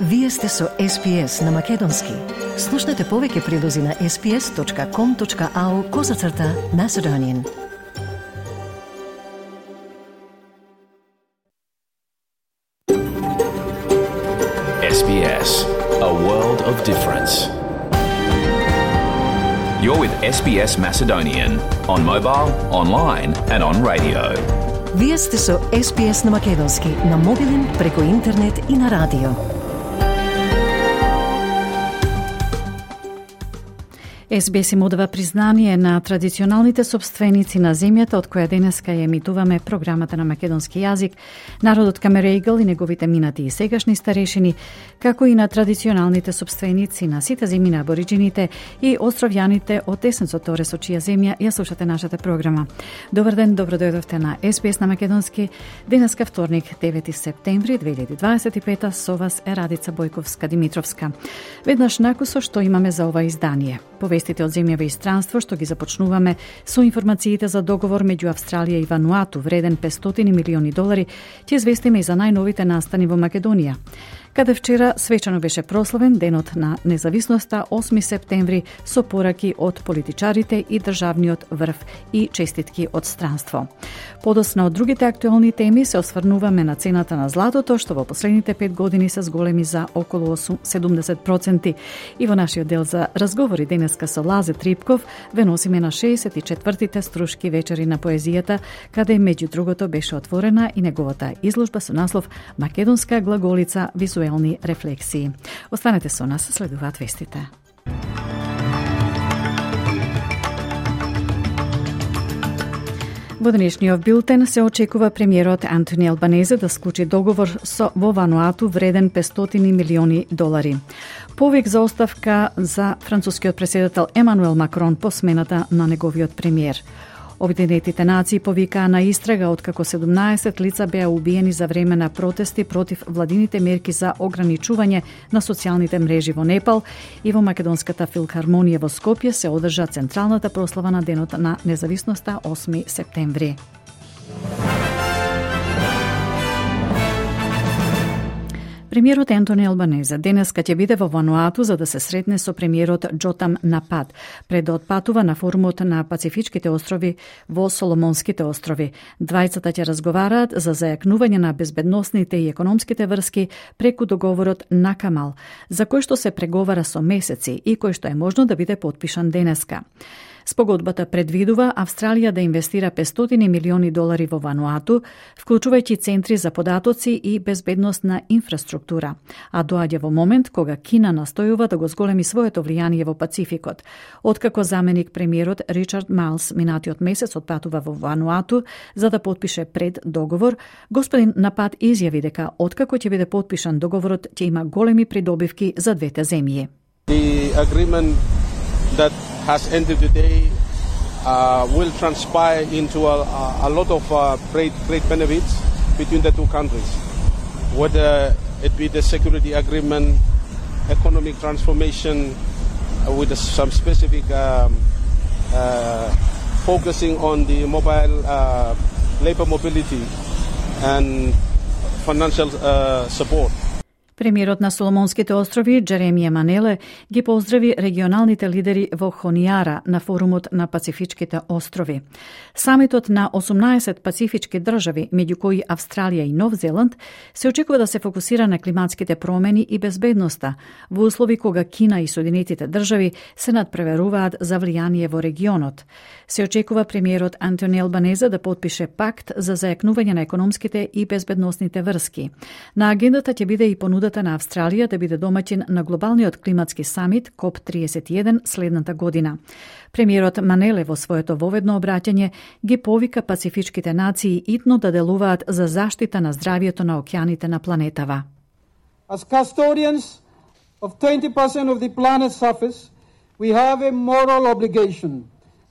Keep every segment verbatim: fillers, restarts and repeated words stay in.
Вие сте со Ес Би Ес на Македонски. Слушнете повеќе прилози на ес би ес точка ком точка ау козацрта Macedonian. Ес Би Ес, a world of difference. You're with Ес Би Ес Macedonian on mobile, online and on radio. Вие сте со Ес Би Ес на Македонски, на мобилен, преку интернет и на радио. Ес Би Ес им одава признание на традиционалните собственици на земјата од која денеска ја емитуваме програмата на македонски јазик, народот Камерејгл и неговите минати и сегашни старешини, како и на традиционалните собственици на сите земји на абориџините и островјаните од Есенцо Торе со чија земја ја слушате нашата програма. Добар ден, добро дојдовте на Ес Би Ес на Македонски. Денеска вторник, девети септември две илјади дваесет и пета, со вас е Радица Бојковска-Димитровска. Веднаш накусо што имаме за ова издание. Повестите од земјава и странство што ги започнуваме со информациите за договор меѓу Австралија и Вануату вреден петстотини милиони долари, ќе известиме и за најновите настани во Македонија, каде вчера свечано беше прославен денот на независноста осми септември со пораки од политичарите и државниот врв и честитки од странство. Подоцна од другите актуелни теми се осврнуваме на цената на златото, што во последните пет години се зголеми за околу седумдесет проценти. И во нашиот дел за разговори денеска со Лазе Трипков ве носиме на шеесет и четвртите струшки вечери на поезијата, каде меѓу другото беше отворена и неговата изложба со наслов Македонска глаголица визуелни рефлексии. Останете со нас, следуваат вестите. Во денешниот билтен се очекува премиерот Антони Албанезе да склучи договор со во Вануату вреден петстотини милиони долари. Повик за оставка за францускиот претседател Емануел Макрон по смената на неговиот премиер. Обединетите нации повикаа на истрага откако седумнаесет лица беа убиени за време на протести против владините мерки за ограничување на социјалните мрежи во Непал, и во Македонската филхармонија во Скопје се одржа централната прослава на денот на независноста осми септември. Премиерот Антони Албанезе денеска ќе биде во Вануату за да се сретне со премиерот Џотам Напад, пред да отпатува на форумот на Пацифичките острови во Соломонските острови. Двајцата ќе разговараат за зајакнување на безбедносните и економските врски преку договорот на Камал, за кој што се преговара со месеци и кој што е можно да биде потпишан денеска. Спогодбата предвидува Австралија да инвестира петстотини милиони долари во Вануату, вклучувајќи центри за податоци и безбедносна инфраструктура, а доаѓа во момент кога Кина настојува да го зголеми своето влијание во Пацификот. Откако заменик премиерот Ричард Майлс минатиот месец отпатува во Вануату за да потпише пред договор, господин Напад изјави дека откако ќе биде потпишан договорот ќе има големи придобивки за двете земји. The agreement that has ended today uh, will transpire into a, a lot of uh, great, great benefits between the two countries. Whether it be the security agreement, economic transformation uh, with some specific um, uh, focusing on the mobile uh, labor mobility and financial uh, support. Премиерот на Соломонските острови Джеремија Манеле ги поздрави регионалните лидери во Хонијара на форумот на Пацифичките острови. Самитот на осумнаесет пацифички држави, меѓу кои Австралија и Нов Зеланд, се очекува да се фокусира на климатските промени и безбедноста, во услови кога Кина и Соединетите држави се надпреверуваат за влијание во регионот. Се очекува премиерот Антони Албанезе да потпише пакт за зајакнување на економските и безбедносните врски. На агендата ќе биде и понуда на Австралија да биде домаќин на глобалниот климатски самит коп триесет и еден следната година. Премиерот Манеле во своето воведно обраќање ги повика пацифичките нации итно да делуваат за заштита на здравието на океаните на планетава. As custodians of twenty percent of the planet's surface, we have a moral obligation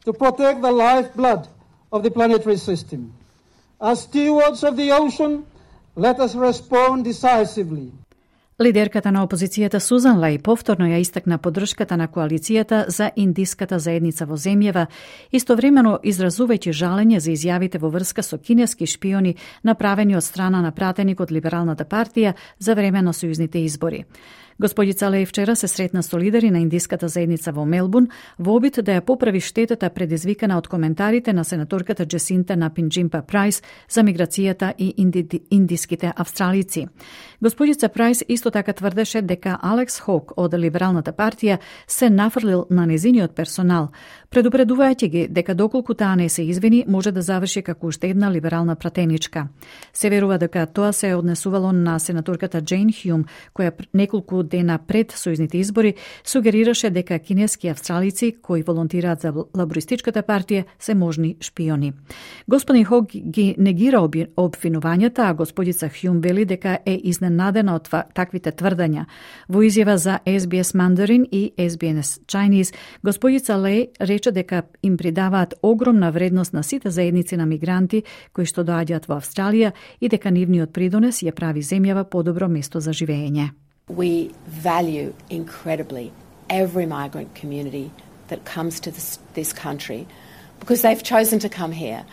to protect the lifeblood of the planetary system. As stewards of the ocean, let us respond decisively. Лидерката на опозицијата Сузан Лај повторно ја истакна поддршката на коалицијата за индиската заедница во земјава, истовремено изразувајќи жалење за изјавите во врска со кинески шпиони направени од страна на пратеник од Либералната партија за време на сојузните избори. Господица Лај вчера се сретна со лидери на индиската заедница во Мелбурн во обид да ја поправи штетата предизвикана од коментарите на сенаторката Джесинта Напинџимпа Прајс за миграцијата и инди, индиските австралици. Господица Прајс исто така тврдеше дека Алекс Хок од Либералната партија се нафрлил на незиниот персонал, предупредувајќи ги дека доколку таа не се извини, може да заврши како уште една либерална пратеничка. Се верува дека тоа се е однесувало на сенаторката Джейн Хјум, која неколку дена пред сојузните избори сугерираше дека кинески австралици кои волонтираат за лабористичката партија се можни шпиони. Господин Хок ги негира обвинувањата, а господица Хјум вели дека е изненадена од таквите тврдања. Во изјава за Ес Би Ес Mandarin и Ес Би Ес Chinese, господица Леј рече дека им придаваат огромна вредност на сите заедници на мигранти кои што доаѓаат во Австралија и дека нивниот придонес ја прави земјава подобро место за живење. We value incredibly every migrant community that comes to this, this country because they've chosen to come here,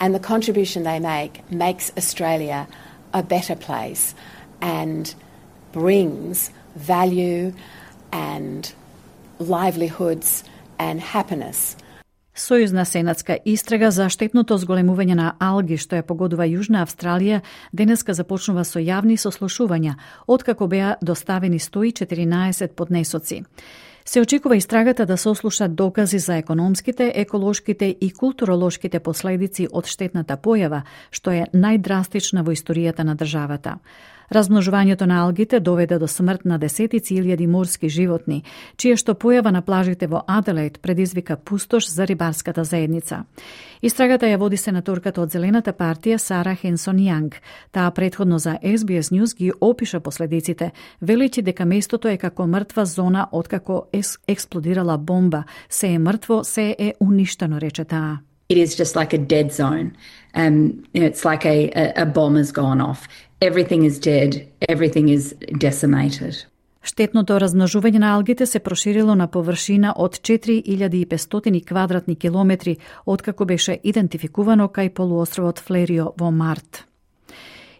and the contribution they make makes Australia a better place and brings value and livelihoods and happiness. Сојузна сенатска истрага за штетното зголемување на алги што ја погодува Јужна Австралија денеска започнува со јавни сослушувања, откако беа доставени сто и четиринаесет поднесоци. Се очекува истрагата да сослушат докази за економските, еколошките и културолошките последици од штетната појава, што е најдрастична во историјата на државата. Размножувањето на алгите доведе до смрт на десетици илјади морски животни, чие што појава на плажите во Аделаид предизвика пустош за рибарската заедница. Истрагата ја води сенаторката од Зелената партија Сара Хенсон Јанг. Таа претходно за Ес Би Ес News ги опиша последиците, велејќи дека местото е како мртва зона откако експлодирала бомба. Се е мртво, се е уништено, рече таа. It is just like a dead zone. Um, it's like a, a, a bomb has gone off. Everything is dead. Everything is decimated. Штетното размножување на алгите се проширило на површина од четири илјади и петстотини квадратни километри, откако беше идентификувано кај полуостровот Флерио во март.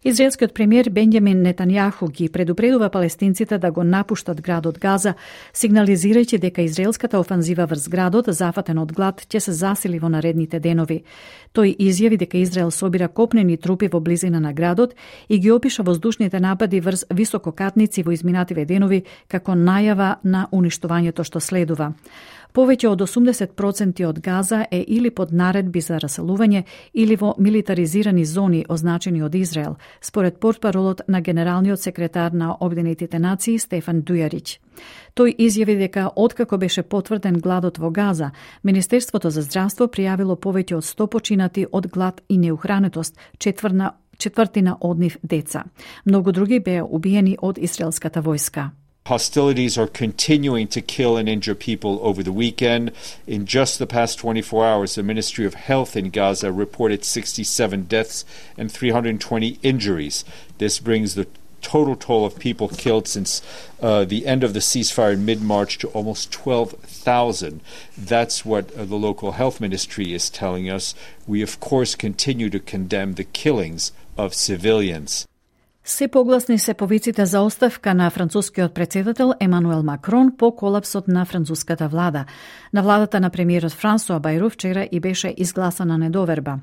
Израелскиот премиер Бенјамин Нетањаху ги предупредува палестинците да го напуштат градот Газа, сигнализирајќи дека израелската офанзива врз градот, зафатен од глад, ќе се засили во наредните денови. Тој изјави дека Израел собира копнени трупи во близина на градот и ги опиша воздушните напади врз висококатници во изминативе денови како најава на уништувањето што следува. Повеќе од осумдесет проценти од Газа е или под наредби за раселување или во милитаризирани зони означени од Израел, според портпаролот на генералниот секретар на Обединетите нации Стефан Дујарич. Тој изјави дека откако беше потврден гладот во Газа, Министерството за здравство пријавило повеќе од сто починати од глад и неухранетост, четврна, четвртина од нив деца. Многу други беа убиени од израелската војска. Hostilities are continuing to kill and injure people over the weekend. In just the past twenty-four hours, the Ministry of Health in Gaza reported sixty-seven deaths and three hundred twenty injuries. This brings the total toll of people killed since uh, the end of the ceasefire in mid-March to almost twelve thousand. That's what uh, the local health ministry is telling us. We, of course, continue to condemn the killings of civilians. Се погласни се повиците за оставка на францускиот претседател Емануел Макрон по колапсот на француската влада. На владата на премиерот Франсуа Бајру вчера и беше изгласана недоверба.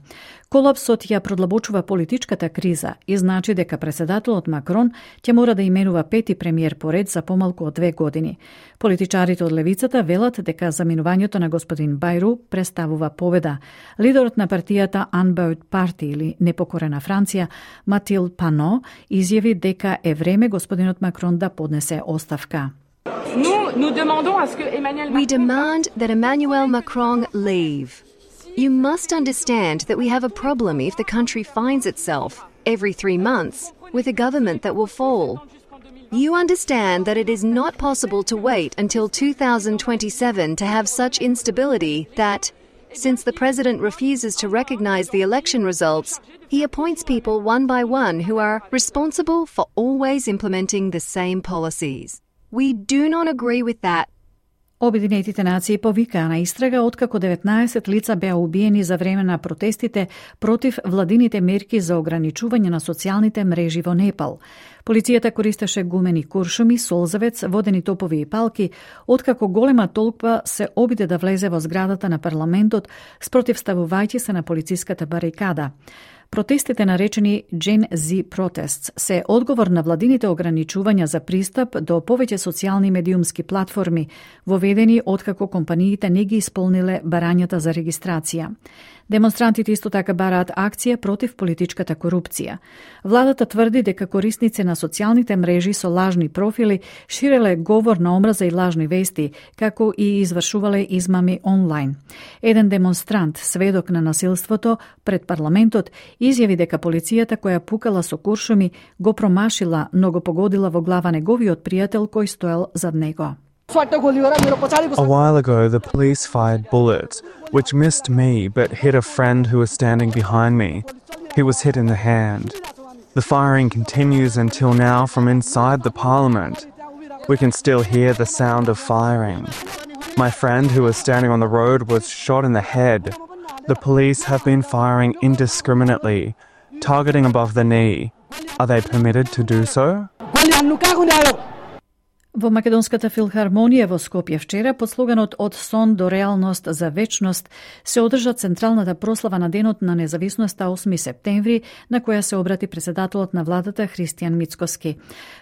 Колапсот ја продлабочува политичката криза и значи дека претседателот Макрон ќе мора да именува пети премиер поред за помалку од две години. Политичарите од левицата велат дека заминувањето на господин Бајру представува победа. Лидерот на партијата Unbowed Party или Непокорена Франција, Матил Пано, изјави дека е време господинот Макрон да поднесе оставка. We demand that Emmanuel Macron leave. You must understand that we have a problem if the country finds itself, every three months, with a government that will fall. You understand that it is not possible to wait until two thousand twenty-seven to have such instability that, Since the president refuses to recognize the election results, he appoints people one by one who are responsible for always implementing the same policies. We do not agree with that. Обединетите нации повикаа на истрага откако деветнаесет лица беа убиени за време на протестите против владините мерки за ограничување на социјалните мрежи во Непал. Полицијата користеше гумени куршуми, солзавец, водени топови и палки, откако голема толпа се обиде да влезе во зградата на парламентот, спротивставувајќи се на полициската барикада. Протестите, наречени Gen Z Protests, се одговор на владините ограничувања за пристап до повеќе социјални медиумски платформи, воведени откако компаниите не ги исполниле барањата за регистрација. Демонстрантите исто така бараат акција против политичката корупција. Владата тврди дека корисници на социјалните мрежи со лажни профили ширеле говор на омраза и лажни вести, како и извршувале измами онлайн. Еден демонстрант, сведок на насилството пред парламентот, изјави дека полицијата која пукала со куршуми го промашила, но го погодила во глава неговиот пријател кој стоел зад него. A while ago, the police fired bullets, which missed me but hit a friend who was standing behind me. He was hit in the hand. The firing continues until now from inside the parliament. We can still hear the sound of firing. My friend who was standing on the road was shot in the head. The police have been firing indiscriminately, targeting above the knee. Are they permitted to do so? Во Македонската филхармонија во Скопје вчера, под слоганот «Од сон до реалност за вечност», се одржа централната прослава на Денот на независноста осми септември, на која се обрати председателот на владата Христијан Мицкоски.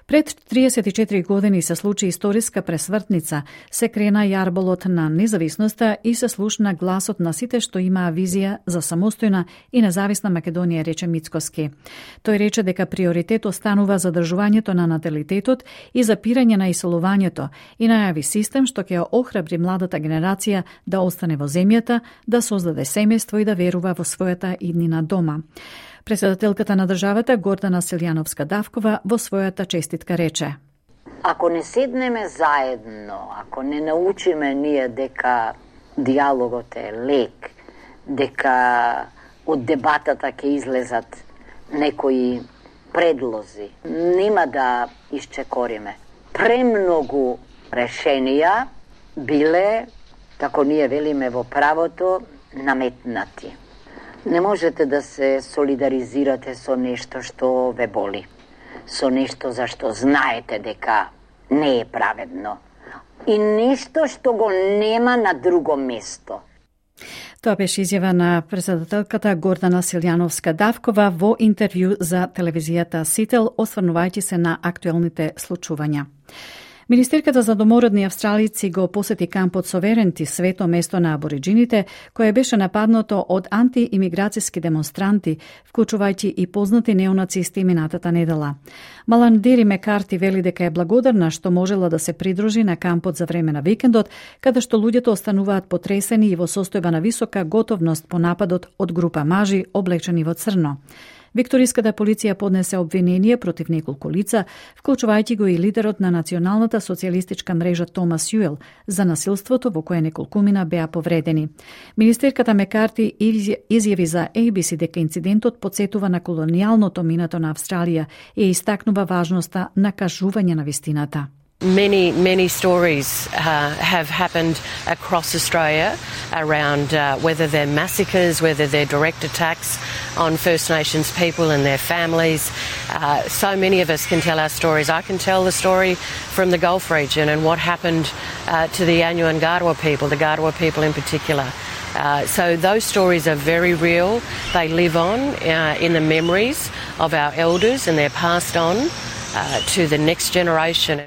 Пред триесет и четири години се случи историска пресвртница, се крена јарболот на независноста и се слушна гласот на сите што имаа визија за самостојна и независна Македонија, рече Мицкоски. Тој рече дека приоритет останува задржувањето на наталитетот и запирање на исолувањето и најави систем што ќе охрабри младата генерација да остане во земјата, да создаде семејство и да верува во својата иднина дома. Председателката на државата Гордана Силјановска-Давкова во својата честитка рече: Ако не седнеме заедно, ако не научиме ние дека диалогот е лек, дека од дебатата ќе излезат некои предлози, нема да исчекориме. Премногу решенија биле, како ние велиме во правото, наметнати. Не можете да се солидаризирате со нешто што ве боли, со нешто за што знаете дека не е праведно и нешто што го нема на друго место. Тоа беше изјава на председателката Гордана Силјановска-Давкова во интервју за телевизијата Сител, осврнувајќи се на актуелните случувања. Министерката за домородни австралици го посети кампот Соверенти, свето место на абориджините, кое беше нападнато од антиимиграцијски демонстранти, вклучувајќи и познати неонацисти минатата недела. Маландири Мекарти вели дека е благодарна што можела да се придружи на кампот за време на викендот, каде што луѓето остануваат потресени и во состојба на висока готовност по нападот од група мажи облечени во црно. Викториската полиција поднесе обвинение против неколку лица, вклучувајќи го и лидерот на националната социјалистичка мрежа Томас Јуел за насилството во кое неколкумина беа повредени. Министерката Мекарти изјави за A B C дека инцидентот потсетува на колонијалното минато на Австралија и истакнува важноста на кажување на вистината. Many, many stories uh, have happened across Australia around uh, whether they're massacres, whether they're direct attacks on First Nations people and their families. Uh, so many of us can tell our stories. I can tell the story from the Gulf region and what happened uh, to the Anyu and Gardawa people, the Gardawa people in particular. Uh, so those stories are very real. They live on uh, in the memories of our elders and they're passed on uh, to the next generation.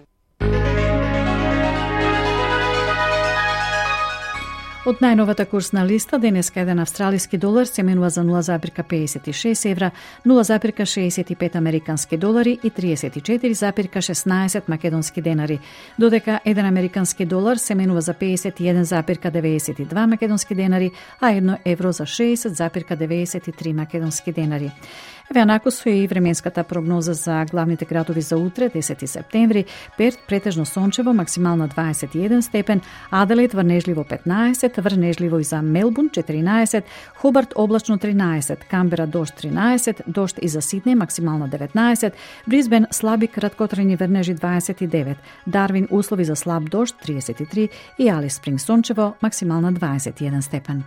Од најновата курсна листа, денеска еден австралиски долар се менува за нула запирка педесет и шест евра, нула запирка шеесет и пет американски долари и триесет и четири запирка шеснаесет македонски денари, додека еден американски долар се менува за педесет и еден запирка деветдесет и два македонски денари, а едно евро за шеесет запирка деветдесет и три македонски денари. Веанако со и временската прогноза за главните градови за утре, десети септември, Перт претежно сончево, максимална дваесет и еден степен, Аделаид врнежливо петнаесет, врнежливо и за Мелбурн четиринаесет, Хобарт облачно тринаесет, Камбера дожд тринаесет, дожд и за Сиднеј максимална деветнаесет, Брисбен слаби краткотрajни врнежи дваесет и девет, Дарвин услови за слаб дожд триесет и три и Алис Спринг сончево, максимална дваесет и еден степен.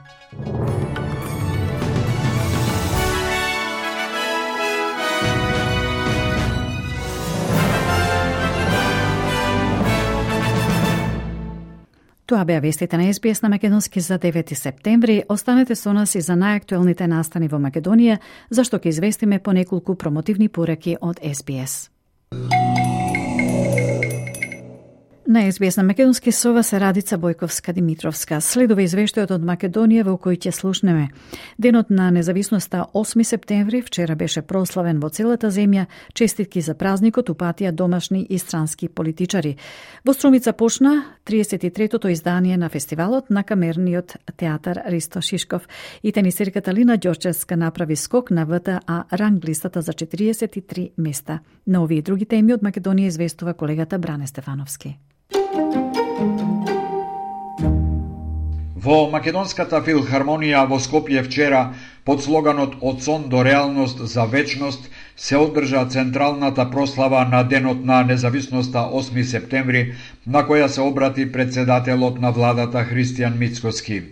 Тоа беа вестите на Ес Би Ес на македонски за девети септември. Останете со нас и за најактуелните настани во Македонија, зашто ќе известиме по неколку промотивни пораки од Ес Би Ес. На Ес Би Ес на македонски со вас е Радица Бојковска-Димитровска. Следува извештајот од Македонија во кој ќе слушнеме. Денот на независноста осми септември вчера беше прославен во целата земја. Честитки за празникот упатија домашни и странски политичари. Во Струмица почна триесет и третото издание на фестивалот на камерниот театар Ристо Шишков и тенисерката Лина Ѓорчевска направи скок на В Т А ранглистата за четириесет и три места. На овие и други теми од Македонија известува колегата Бране Стефановски. Во Македонската филхармонија во Скопје вчера, под слоганот «Од сон до реалност за вечност», се одржа централната прослава на Денот на независноста осми септември, на која се обрати председателот на владата Христијан Мицкоски.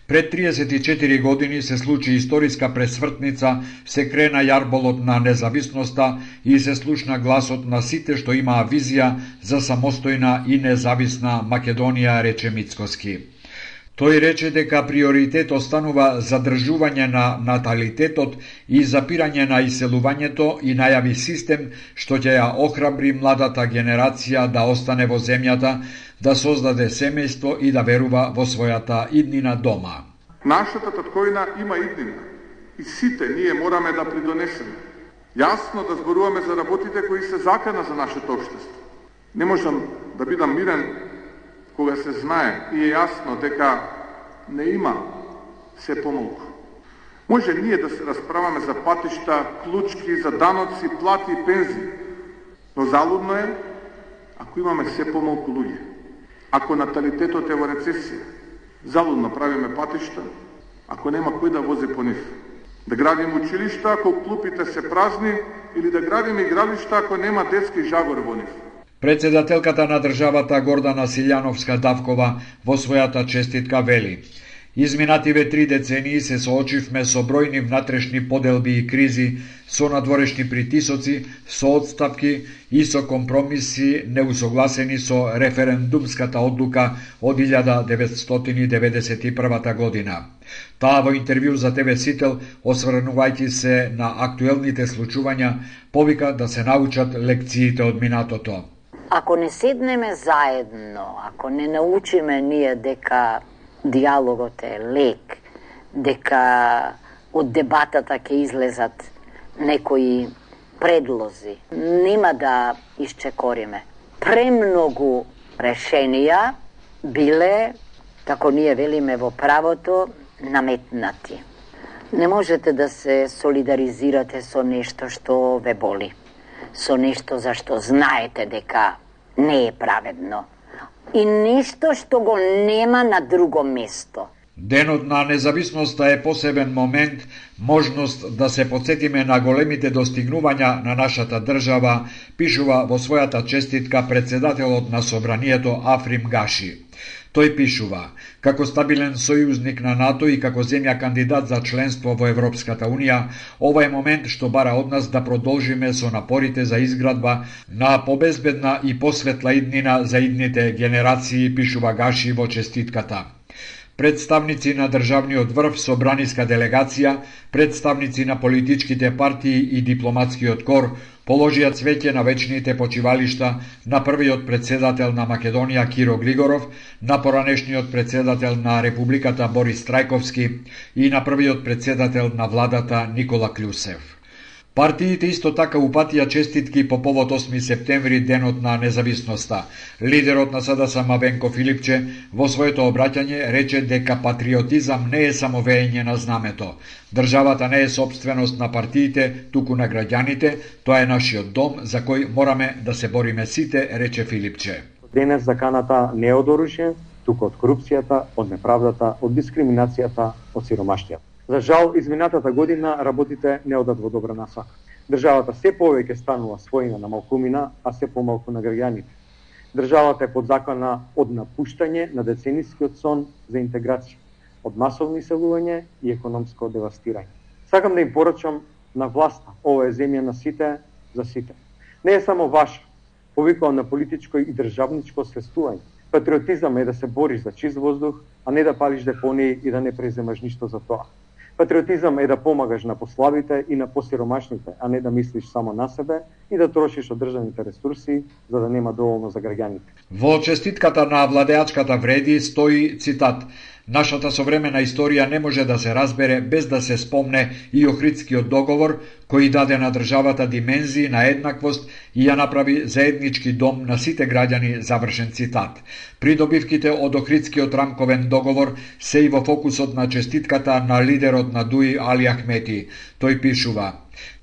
Пред триесет и четири години се случи историска пресвртница, се крена јарболот на независноста и се слушна гласот на сите што имаа визија за самостојна и независна Македонија, рече Мицкоски. Тој рече дека приоритет останува задржување на наталитетот и запирање на иселувањето и најави систем што ќе ја охрабри младата генерација да остане во земјата, да создаде семејство и да верува во својата иднина дома. Нашата татковина има иднина и сите ние мораме да придонесеме. Јасно да зборуваме за работите кои се закана за нашето општество. Не можам да бидам мирен кога се знае и е јасно дека не има се помалку. Може ние да се расправаме за патишта, клучки, за даноци, плати и пензии, но залудно е ако имаме се помалку луѓе. Ако наталитетот е во рецесија, залудно правиме патишта, ако нема кој да вози по нив. Да градиме училишта ако клупите се празни или да градиме игралишта ако нема детски жагор во нив. Председателката на државата Гордана Силјановска-Давкова во својата честитка вели: Изминативе три децении се соочивме со бројни внатрешни поделби и кризи, со надворешни притисоци, со одстапки и со компромиси неусогласени со референдумската одлука од илјада деветстотини деветдесет и прва година. Таа во интервју за Те Ве Сител, осврнувајќи се на актуелните случувања, повика да се научат лекциите од минатото. Ако не седнеме заедно, ако не научиме ние дека диалогот е лек, дека од дебатата ќе излезат некои предлози, нема да исчекориме. Премногу решенија биле, како ние велиме во правото, наметнати. Не можете да се солидаризирате со нешто што ве боли, со нешто за што знаете дека не е праведно и нешто што го нема на друго место. Денот на независноста е посебен момент, можност да се потсетиме на големите достигнувања на нашата држава, пишува во својата честитка председателот на Собранието Африм Гаши. Тој пишува: како стабилен сојузник на НАТО и како земја кандидат за членство во Европската Унија, ова е момент што бара од нас да продолжиме со напорите за изградба на побезбедна и посветла иднина за идните генерации, пишува Гаши во честитката. Представници на државниот врв, собраниска делегација, представници на политичките партии и дипломатскиот кор положија цвеќе на вечните почивалишта на првиот председател на Македонија Киро Глигоров, на поранешниот председател на Републиката Борис Трајковски и на првиот председател на владата Никола Клюсев. Партиите исто така упатија честитки по повод осми септември, денот на независноста. Лидерот на СДСМ Венко Филипче во своето обраќање рече дека патриотизам не е само веење на знамето. Државата не е собственост на партиите, туку на граѓаните, тоа е нашиот дом за кој мораме да се бориме сите, рече Филипче. Денес заканата не е од оружје, туку од корупцијата, од неправдата, од дискриминацијата, од сиромаштијата. За жал, изминатата година работите не одат во добра насока. Државата се повеќе станува својна на малкумина, а се помалку на граѓаните. Државата е подзакана од напуштање на деценискиот сон за интеграција, од масовно иселување и економско девастирање. Сакам да им порачам на власта, ова е земја на сите за сите. Не е само ваша, повикувам на политичко и државничко освестување. Патриотизам е да се бориш за чист воздух, а не да палиш депонии и да не преземаш ништо за тоа. Патриотизам е да помагаш на послабите и на посиромашните, а не да мислиш само на себе и да трошиш од државните ресурси за да нема доволно за граѓаните. Во честитката на владеачката вреди стои цитат: "Нашата современа историја не може да се разбере без да се спомне и Охридскиот договор, кој даде на државата димензии на еднаквост и ја направи заеднички дом на сите граѓани", завршен цитат. Придобивките од Охридскиот рамковен договор се и во фокусот на честитката на лидерот на ДУИ Али Ахмети. Тој пишува: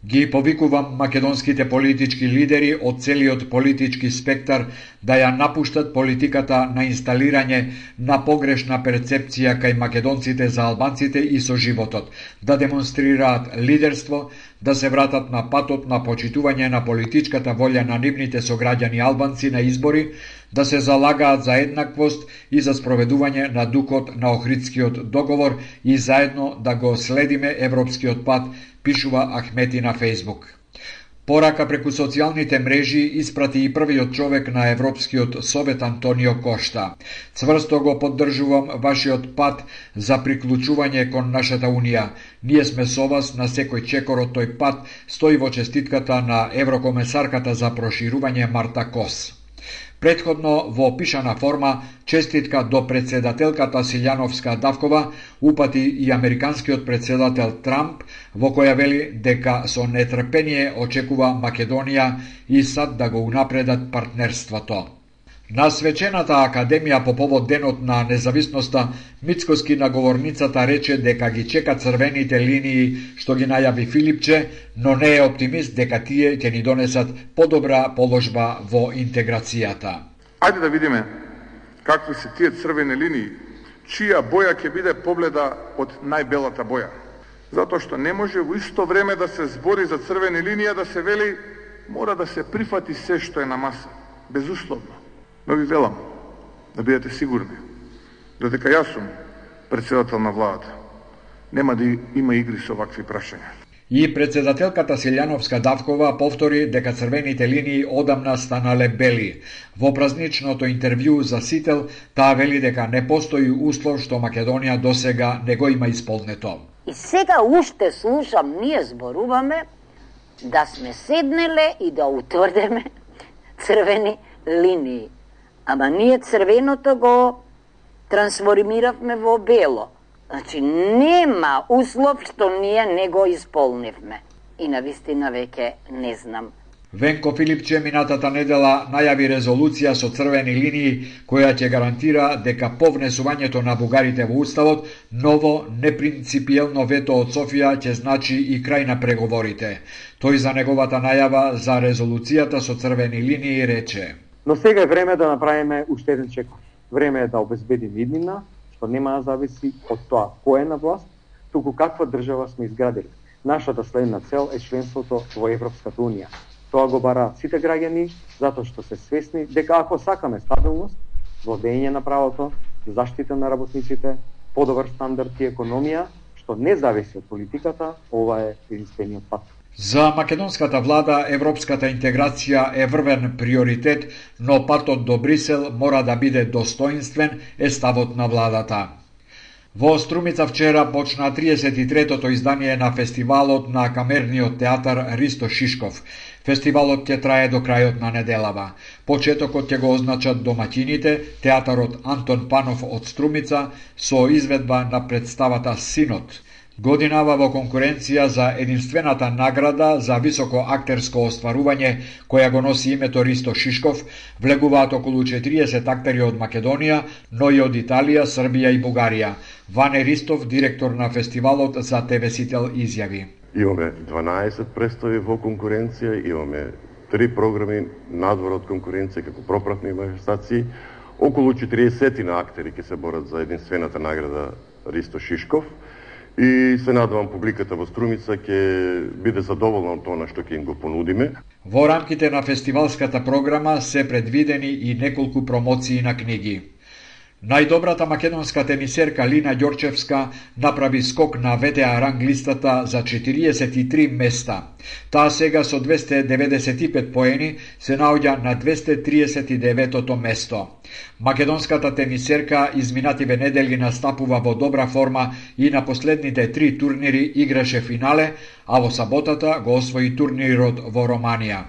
"Ги повикувам македонските политички лидери од целиот политички спектар да ја напуштат политиката на инсталирање на погрешна перцепција кај македонците за албанците и со животот, да демонстрираат лидерство, да се вратат на патот на почитување на политичката волја на нивните сограѓани албанци на избори, да се залагаат за еднаквост и за спроведување на духот на Охридскиот договор и заедно да го следиме европскиот пат", пишува Ахмети на Фејсбук. Порака преку социјалните мрежи испрати и првиот човек на Европскиот совет Антонио Кошта. "Цврсто го поддржувам вашиот пат за приклучување кон нашата Унија. Ние сме со вас на секој чекор од тој пат", стои во честитката на еврокомесарката за проширување Марта Кос. Претходно во пишана форма честитка до председателката Силјановска Давкова упати и американскиот председател Трамп, во која вели дека со нетрпение очекува Македонија и САД да го унапредат партнерството. На свечената академија по повод денот на независноста, Мицкоски на говорницата рече дека ги чека црвените линии што ги најави Филипче, но не е оптимист дека тие ќе ни донесат подобра положба во интеграцијата. Ајде да видиме какви се тие црвени линии, чија боја ќе биде побледа од најбелата боја. Затоа што не може во исто време да се збори за црвени линија, да се вели мора да се прифати се што е на маса, безусловно. Но ви велам, да бидете сигурни, додека јас сум председател на владата, нема да има игри со вакви прашања. И председателката Силјановска Давкова повтори дека црвените линии одамна станале бели. Во празничното интервју за Сител, таа вели дека не постои услов што Македонија досега не го има исполнето. И сега уште слушам, ние зборуваме да сме седнеле и да утврдеме црвени линии. Ама ние црвеното го трансформиравме во бело. Значи, нема услов што ние не го исполнивме. И навистина веќе не знам. Венко Филипче минатата недела најави резолуција со црвени линии која ќе гарантира дека по внесувањето на бугарите во Уставот, ново непринципиелно вето од Софија ќе значи и крај на преговорите. Тој за неговата најава за резолуцијата со црвени линии рече: "Но сега е време да направиме уште еден чекор. Време е да обезбедиме иднина, што нема да зависи од тоа кој е на власт, туку каква држава сме изградили. Нашата следна цел е членството во Европската Унија. Тоа го бараат сите граѓани, затоа што се свесни дека ако сакаме стабилност, владење на правото, заштита на работниците, подобар стандард и економија, што не зависи од политиката, ова е единствениот пат." За македонската влада европската интеграција е врвен приоритет, но патот до Брисел мора да биде достоинствен, е ставот на владата. Во Струмица вчера почна триесет и третото издание на фестивалот на камерниот театар Ристо Шишков. Фестивалот ќе трае до крајот на неделава. Почетокот ќе го означат домаќините, театарот Антон Панов од Струмица со изведба на представата Синот. Годинава во конкуренција за единствената награда за високо актерско остварување, која го носи името Ристо Шишков, влегуваат околу четириесет актери од Македонија, но и од Италија, Србија и Бугарија. Ване Ристов, директор на фестивалот за те ве Сител, изјави: Имаме дванаесет представи во конкуренција, имаме три програми надвор од конкуренција како пропратни манифестации. Околу четириесет на актери ќе се борат за единствената награда Ристо Шишков и се надевам публиката во Струмица ќе биде задоволна од тоа што ќе им го понудиме. Во рамките на фестивалската програма се предвидени и неколку промоции на книги. Најдобрата македонска тенисерка Лина Ѓорчевска направи скок на вэ те а ранглистата за четириесет и три места. Таа сега со двесте деведесет и пет поени се наоѓа на двесте триесет и деветото место. Македонската тенисерка изминативе недели настапува во добра форма и на последните три турнири играше финале, а во саботата го освои турнирот во Романија.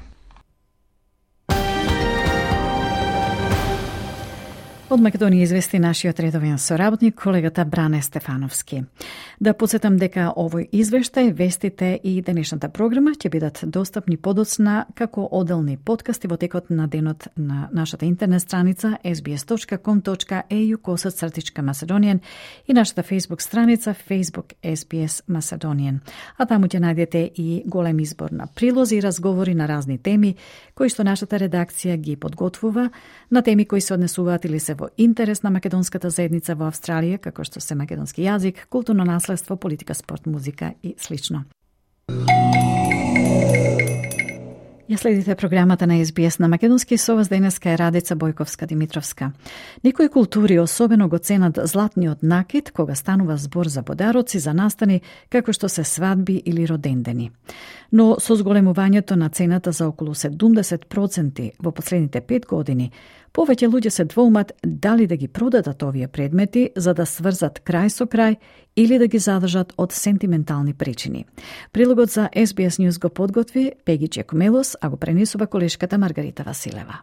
Од Македонија извести нашиот редовен соработник, колегата Бране Стефановски. Да подсетам дека овој извештај, вестите и денешната програма ќе бидат достапни подоцна како оделни подкасти во текот на денот на нашата интернет страница ес би ес точка ком точка е ю косацртичка Macedonian и нашата Facebook страница Facebook ес би ес Macedonian. А таму ќе најдете и голем избор на прилози и разговори на разни теми кои што нашата редакција ги подготвува, на теми кои се однесуваат или се во интерес на македонската заедница во Австралија, како што се македонски јазик, културно наследство, политика, спорт, музика и слично. Ја следите програмата на ес би ес на македонски, со вас денеска е Радица Бојковска-Димитровска. Некои култури особено го ценат златниот накид кога станува збор за подароци за настани како што се свадби или родендени. Но со зголемувањето на цената за околу седумдесет проценти во последните пет години, повеќе луѓе се двоумат дали да ги продадат овие предмети за да сврзат крај со крај или да ги задржат од сентиментални причини. Прилогот за ес би ес News го подготви Пеги Чекумелос, а го пренесува колешката Маргарита Василева.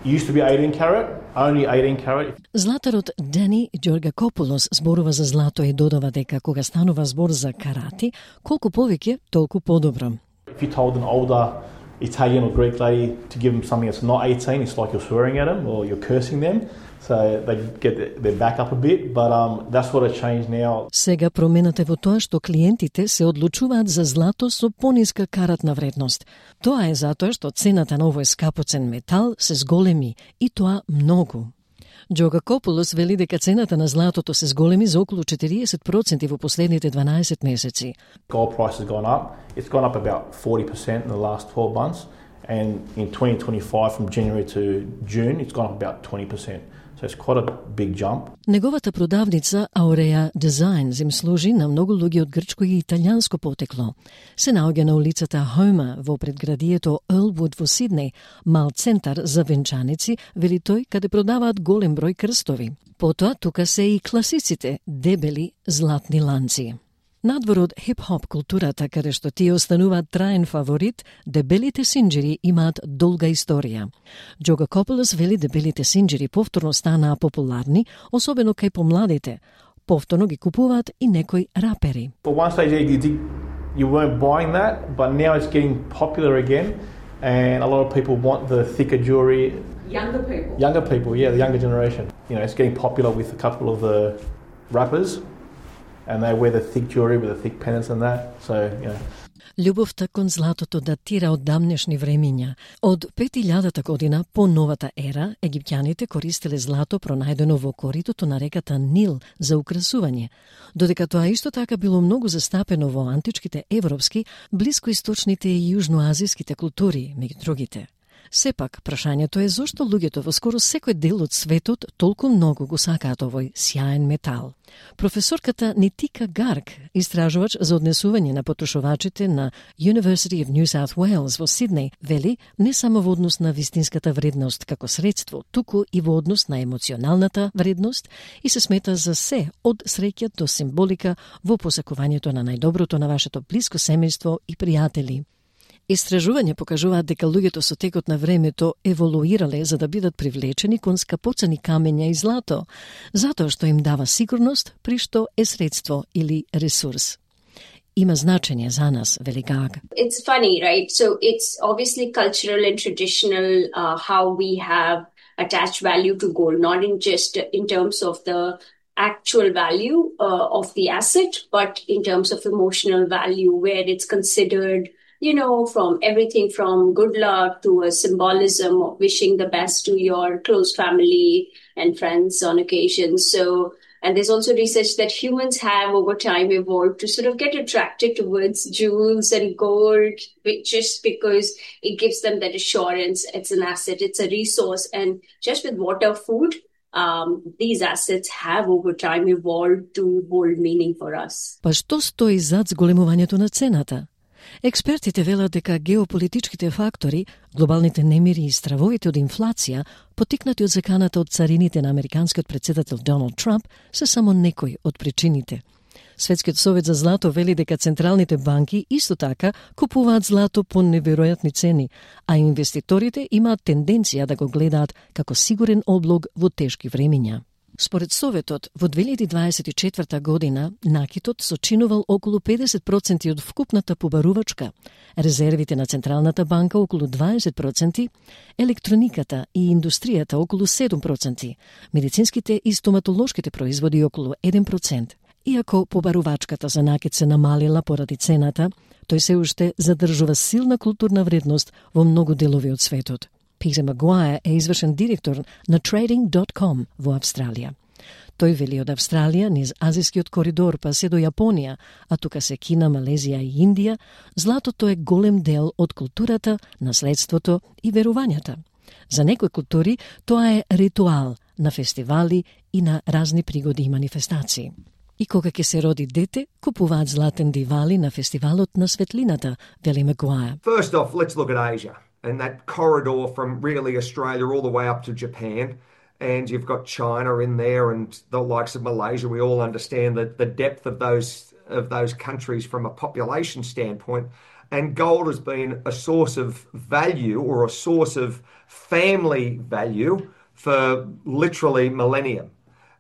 Used to be eighteen carat, only eighteen carat. Златарот Дани Ѓоргакополос зборува за злато и додава дека кога станува збор за карати, колку повеќе, толку подобро. If you told an older Italian or Greek lady to give them something that's not eighteen, it's like you're swearing at them or you're cursing them. So they get their back up a bit, but um, that's what has changed now. Сега промената е во тоа што клиентите се одлучуваат за злато со пониска каратна вредност. Тоа е затоа што цената на овој скапоцен метал се зголеми и тоа многу. Ѓоргакополос вели дека цената на златото се зголеми за околу четириесет проценти во последните дванаесет месеци. Gold price has gone up. It's gone up about forty percent in the last twelve months, and in twenty twenty-five from January to June it's gone up about twenty percent. So it's quite a big jump. Неговата продавница Aurea Designs им служи на многу луѓе од грчко и италијанско потекло. Се наоѓа на улицата Хома во предградието Елвуд во Сиднеј, мал центар за венчаници, вели тој, каде продаваат голем број крстови. Потоа тука се и класиците дебели златни ланци. Надвор од хип-хоп културата, каде што тие остануваат траен фаворит, дебелите синџери имаат долга историја. Ѓоргакополос вели дебелите синџери повторно станаа популарни, особено кај помладите. Повторно ги купуваат и некои рапери. For one stage you, did, you weren't buying that, but now it's getting popular again, and a lot of people want the thicker jewelry. Younger people. Younger people, yeah, the younger generation. You know, it's getting popular with a couple of the rappers. And they wear the thick jewelry with the thick pendants and that. So, you know. Љубовта кон златото датира од давнешни времиња. Од пет илјадата година по новата ера, египтјаните користеле злато пронајдено во коритото на реката Нил за украсување, додека тоа исто така било многу застапено во античките европски, блискоисточните и јужноазиските култури, меѓу другите. Сепак, прашањето е зошто луѓето во скоро секој дел од светот толку многу го сакаат овој сјаен метал. Професорката Нитика Гарк, истражувач за однесување на потрошувачите на University of New South Wales во Сиднеј, вели не само во однос на вистинската вредност како средство, туку и во однос на емоционалната вредност и се смета за се од среќа до символика во посакувањето на најдоброто на вашето блиско семејство и пријатели. Истражувања покажуваат дека луѓето со текот на времето еволуирале за да бидат привлечени кон скапоцени камења и злато, затоа што им дава сигурност, при што е средство или ресурс. Има значење за нас, вели Гаг. It's funny, right? So it's obviously cultural and traditional uh, how we have attached value to gold, not in just in terms of the actual value uh, of the asset, but in terms of emotional value, where it's considered, you know, from everything from good luck to a symbolism of wishing the best to your close family and friends on occasions. So, and there's also research that humans have over time evolved to sort of get attracted towards jewels and gold, just because it gives them that assurance. It's an asset, it's a resource. And just with water, food, Um, these assets have over time evolved to hold meaning for us. Па што стои зад зголемувањето на цената? Експертите велат дека геополитичките фактори, глобалните немири и стравовите од инфлација, потикнати од заканата од царините на американскиот претседател Доналд Трамп, се само некои од причините. Светскиот совет за злато вели дека централните банки исто така купуваат злато по неверојатни цени, а инвеститорите имаат тенденција да го гледаат како сигурен облог во тешки времиња. Според Советот, во две илјади дваесет и четврта година накитот сочинувал околу педесет проценти од вкупната побарувачка, резервите на Централната банка околу дваесет проценти, електрониката и индустријата околу седум проценти, медицинските и стоматолошките производи околу еден процент. Иако побарувачката за накит се намалила поради цената, тој се уште задржува силна културна вредност во многу делови од светот. Питер Магуајер е извршен директор на Trading dot com во Австралија. Тој вели од Австралија низ азискиот коридор па се до Јапонија, а тука се Кина, Малезија и Индија, златото е голем дел од културата, наследството и верувањата. За некои култури тоа е ритуал на фестивали и на разни пригоди и манифестации. И кога ќе се роди дете, купуваат златен дивали на фестивалот на светлината, вели Магуајер. First off, let's look at Asia and that corridor from really Australia all the way up to Japan. And you've got China in there and the likes of Malaysia. We all understand that the depth of those of those countries from a population standpoint. And gold has been a source of value or a source of family value for literally millennia.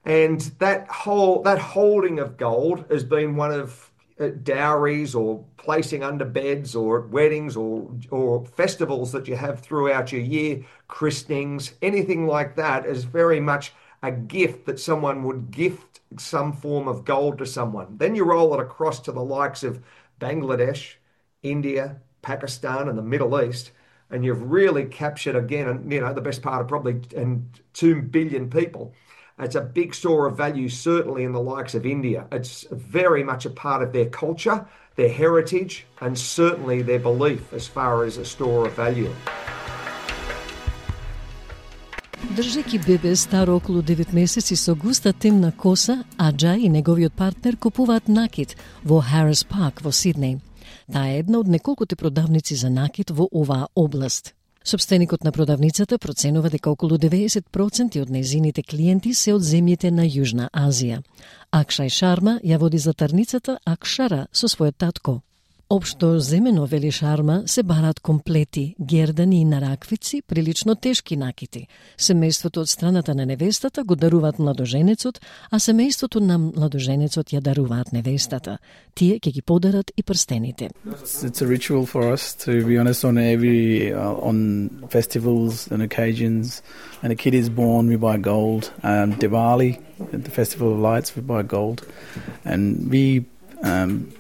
And that whole that holding of gold has been one of uh, dowries or placing under beds or weddings or or festivals that you have throughout your year, christenings, anything like that is very much a gift that someone would gift some form of gold to someone. Then you roll it across to the likes of Bangladesh, India, Pakistan and the Middle East, and you've really captured again, you know, the best part of probably and two billion people. It's a big store of value, certainly in the likes of India. It's very much a part of their culture, their heritage, and certainly their belief as far as a store of value. Држеки бебе старо околу девет месеци со густа темна коса, Аджа и неговиот партнер купуваат накит во Harris Park во Сиднеј. Таа е една од неколкуте продавници за накит во оваа област. Собственикот на продавницата проценува дека околу деветдесет проценти од нејзините клиенти се од земјите на Јужна Азија. Акшај Шарма ја води златарницата Акшара со својот татко. Општо земено, вели Шарма, се бараат комплети, гердани и нараквици, прилично тешки накити. Семејството од страната на невестата го даруваат младоженецот, а семејството на младоженецот ја даруваат невестата. Тие ќе ги подарат и прстените. It's a ritual for us, to be honest, on every uh, on festivals and occasions. And a kid is born, we buy gold. Um, Diwali, at the Festival of Lights, we buy gold. And we um,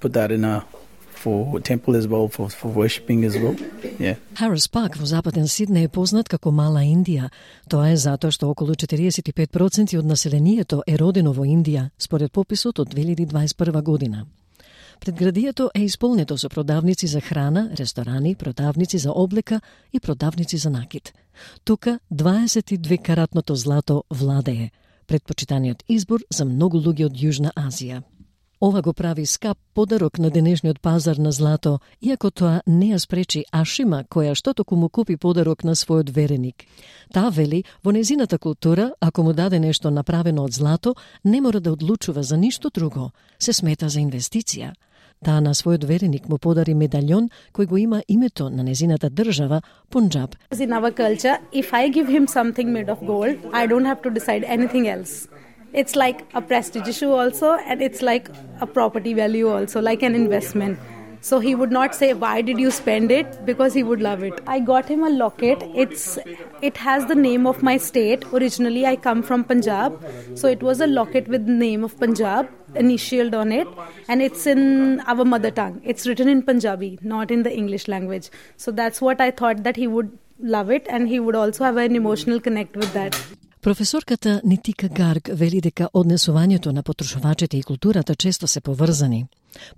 put that in a for temple as well, for, for worshipping as well. Yeah. Harris Park во западен Сиднеј е познат како Мала Индија. Тоа е затоа што околу четириесет и пет проценти од населението е родено во Индија, според пописот од две илјади дваесет и прва година. Предградието е исполнето со продавници за храна, ресторани, продавници за облека и продавници за накит. Тука дваесет и две каратното злато владее, предпочитаниот избор за многу луѓе од Јужна Азија. Ова го прави скап подарок на денешниот пазар на злато, иако тоа не ја спречи Ашима, која што току му купи подарок на својот вереник. Таа вели, во незината култура, ако му даде нешто направено од злато, не мора да одлучува за ништо друго, се смета за инвестиција. Таа на својот вереник му подари медальон кој го има името на незината држава, Пунџаб. In our culture, if I give him something made of gold, I don't have to decide anything else. It's like a prestige issue also, and it's like a property value also, like an investment. So he would not say, why did you spend it? Because he would love it. I got him a locket. It's It has the name of my state. Originally, I come from Punjab. So it was a locket with the name of Punjab initialed on it. And it's in our mother tongue. It's written in Punjabi, not in the English language. So that's what I thought that he would love it. And he would also have an emotional connect with that. Професорката Нитика Гарг вели дека однесувањето на потрошувачите и културата често се поврзани.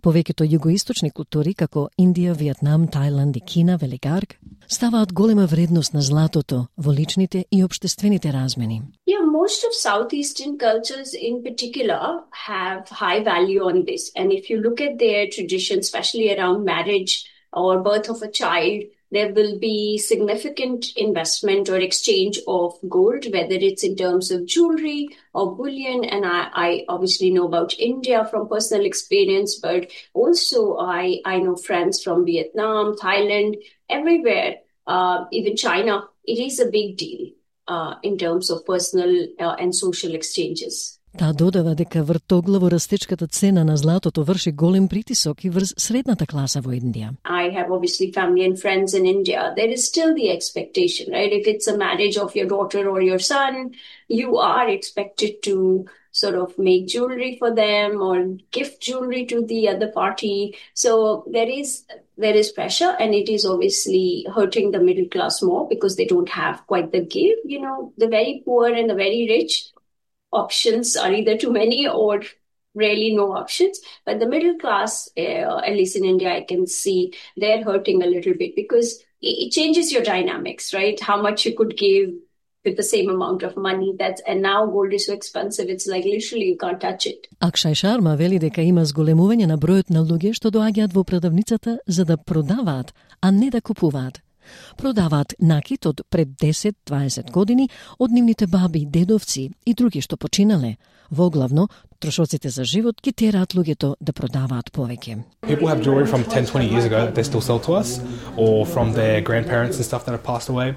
Повеќето југоисточни култури, како Индија, Виетнам, Тајланд и Кина, вели Гарг, ставаат голема вредност на златото во личните и општествените размени. Yeah, most of Southeastern cultures in particular have high value on this. And if you look at their traditions, especially around marriage or birth of a child, there will be significant investment or exchange of gold, whether it's in terms of jewelry or bullion. And I, I obviously know about India from personal experience, but also I, I know friends from Vietnam, Thailand, everywhere, uh, even China. It is a big deal uh, in terms of personal uh, and social exchanges. Таа додава дека вртоглаво растечката цена на златото врши голем притисок и врз средната класа во Индија. I have obviously family and friends in India. There is still the expectation, right? If it's a marriage of your daughter or your son, you are expected to sort of make jewelry for them or gift jewelry to the other party. So there is there is pressure, and it is obviously hurting the middle class more because they don't have quite the give. You know, the very poor and the very rich, options are either too many or really no options. But the middle class, uh, at least in India, I can see they're hurting a little bit because it changes your dynamics, right? How much you could give with the same amount of money. That's and now gold is so expensive. It's like literally you can't touch it. Акшај Шарма вели дека има зголемување на бројот на луѓе што доаѓаат во продавницата за да продаваат, а не да купуваат. Продаваат накит од пред десет до дваесет години од нивните баби, дедовци и други што починале. Воглавно, трошоците за живот ги тераат луѓето да продаваат повеќе. People have jewelry from ten to twenty years ago that they still sell to us, or from their grandparents and stuff that have passed away.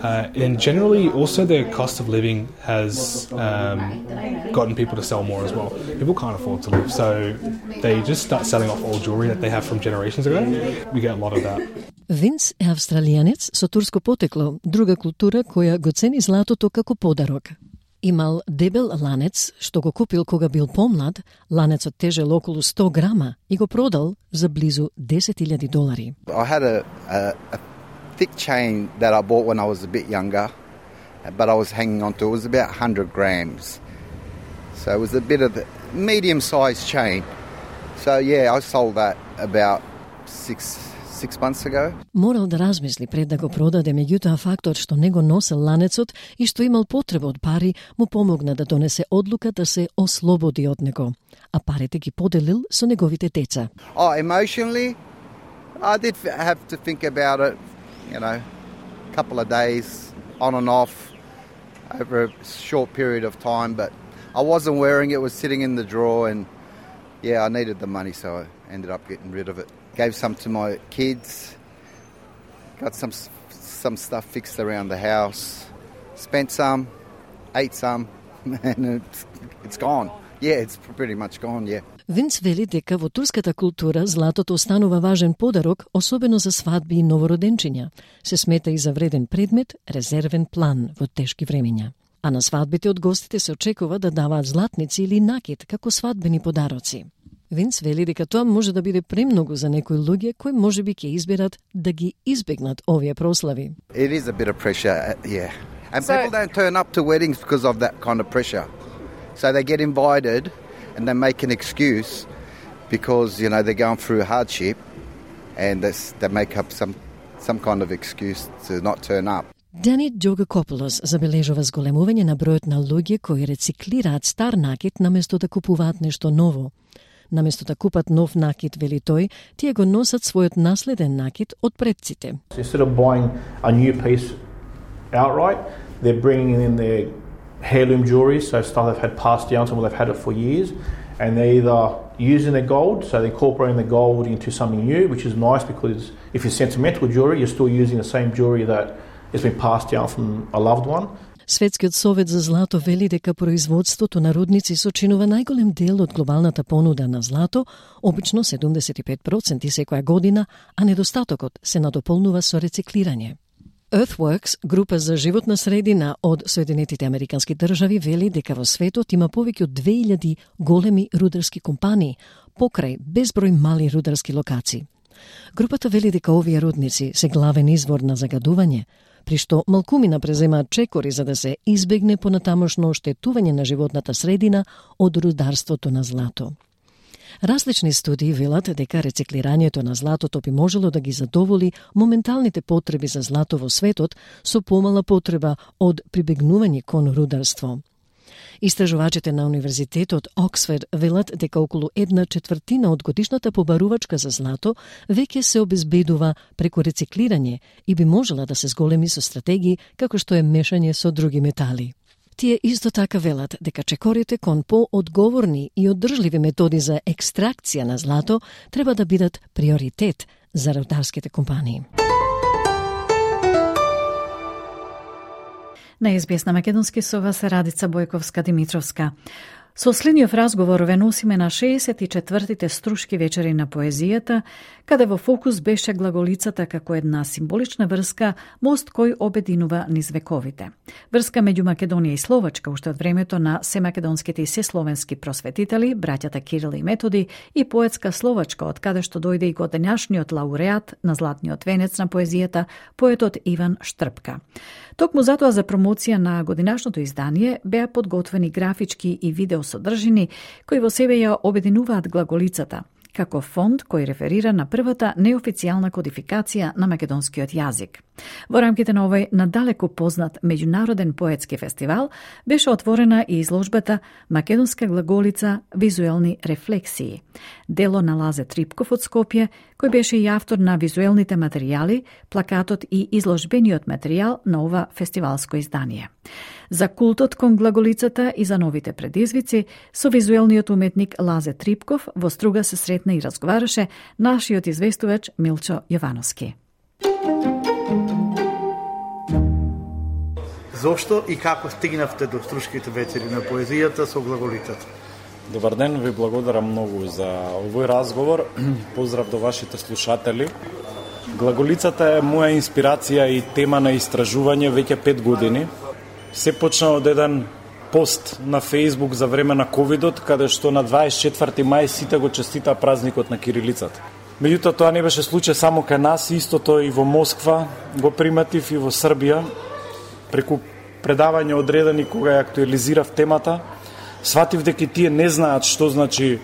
Uh, and generally, also their cost of living has um, gotten people to sell more as well. People can't afford to live, so they just start selling off old jewelry that they have from generations ago. We get a lot of that. Винс е австралијанец со турско потекло, друга култура која го цени златото како подарок. Имал дебел ланец што го купил кога бил помлад, ланецот тежел околу сто грама и го продал за близу десет илјади долари. I had a, a, a thick chain that I bought when I was a bit younger, but I was hanging on to. It was about one hundred grams. So it was a bit of a medium-sized chain. So yeah, I sold that about six six months ago. Морал да размисли пред да го продаде, меѓутоа фактот што не го носел ланецот и што имал потреба од пари му помогна да донесе одлука да се ослободи од него, а парите ги поделил со неговите деца. Oh, emotionally, I did have to think about it, you know, a couple of days on and off over a short period of time, but I wasn't wearing it, it was sitting in the drawer, and yeah, I needed the money, so I ended up getting rid of it. Gave some to my kids, got some some stuff fixed around the house, spent some, ate some, and it's, it's gone. Yeah, it's pretty much gone, yeah. Винс вели дека во турската култура златото останува важен подарок, особено за свадби и новороденчиња. Се смета и за вреден предмет, резервен план во тешки времења. А на свадбите од гостите се очекува да даваат златници или накит како свадбени подароци. Винс вели дека тоа може да биде премногу за некои луѓе кои можеби ќе изберат да ги избегнат овие прослави. It is a bit of pressure, yeah. And so, people don't turn up to weddings because of that kind of pressure. So they get invited and they make an excuse because, you know, they're going through hardship and they make up some some kind of excuse to not turn up. Дани Джогакополос забележува зголемување на бројот на луѓе кои рециклираат стар накит наместо да купуваат нешто ново. Наместо да купат нов накит, вели тој, тие го носат својот наследен накит од предците. Instead of buying a new piece outright, they're bringing in their heirloom jewelry, so stuff they've had passed down to them, they've had it for years, and they either using their gold, so they're incorporating the gold into something new, which is nice because if it's sentimental jewelry, you're still using the same jewelry that has been passed down from a loved one. Светскиот совет за злато вели дека производството на рудници сочинува најголем дел од глобалната понуда на злато, обично седумдесет и пет проценти секоја година, а недостатокот се надополнува со рециклирање. Earthworks, група за животна средина од Соединетите Американски држави, вели дека во светот има повеќе од две илјади големи рударски компании, покрај безброј мали рударски локации. Групата вели дека овие рудници се главен извор на загадување, при што малкумина преземаат чекори за да се избегне понатамошно оштетување на животната средина од рударството на злато. Различни студии велат дека рециклирањето на златото би можело да ги задоволи моменталните потреби за злато во светот со помала потреба од прибегнување кон рударство. Истражувачите на Универзитетот Оксфорд велат дека околу една четвртина од годишната побарувачка за злато веќе се обезбедува преку рециклирање и би можела да се зголеми со стратегии како што е мешање со други метали. Тие исто така велат дека чекорите кон поодговорни и оддржливи методи за екстракција на злато треба да бидат приоритет за рударските компании. На ес би ес на македонски со вас Радица Бојковска-Димитровска. Со следниот разговор ве носиме на шеесет и четвртите струшки вечери на поезијата, каде во фокус беше глаголицата како една символична врска, мост кој обединува низ вековите. Врска меѓу Македонија и Словачка уште од времето на семакедонските и сесловенски просветители, браќата Кирил и Методи, и поетска Словачка, од каде што дојде и годинашниот лауреат на Златниот венец на поезијата, поетот Иван Штрпка. Токму затоа за промоција на годинашното издание беа подготвени графички и видео содржини кои во себе ја обединуваат глаголицата, како фонд кој реферира на првата неофицијална кодификација на македонскиот јазик. Во рамките на овој надалеку познат меѓународен поетски фестивал беше отворена и изложбата Македонска глаголица визуелни рефлексии, дело на Лазе Трипков од Скопје, кој беше и автор на визуелните материјали, плакатот и изложбениот материјал на ова фестивалско издание. За култот кон глаголицата и за новите предизвици, со визуелниот уметник Лазе Трипков во Струга се сретна и разговараше нашиот известувач Милчо Јовановски. Зошто и како стигнавте до Струшките вечери на поезијата со глаголицата? Добар ден, ви благодарам многу за овој разговор. Поздрав до вашите слушатели. Глаголицата е моја инспирација и тема на истражување веќе пет години. Се почна од еден пост на Facebook за време на ковидот, каде што на дваесет и четврти мај сите го честитаа празникот на кирилицата. Меѓутоа, тоа не беше случај само кај нас, истото и во Москва го приметив и во Србија. Преку предавање одредени кога ја актуализирав темата, сватив дека тие не знаат што значи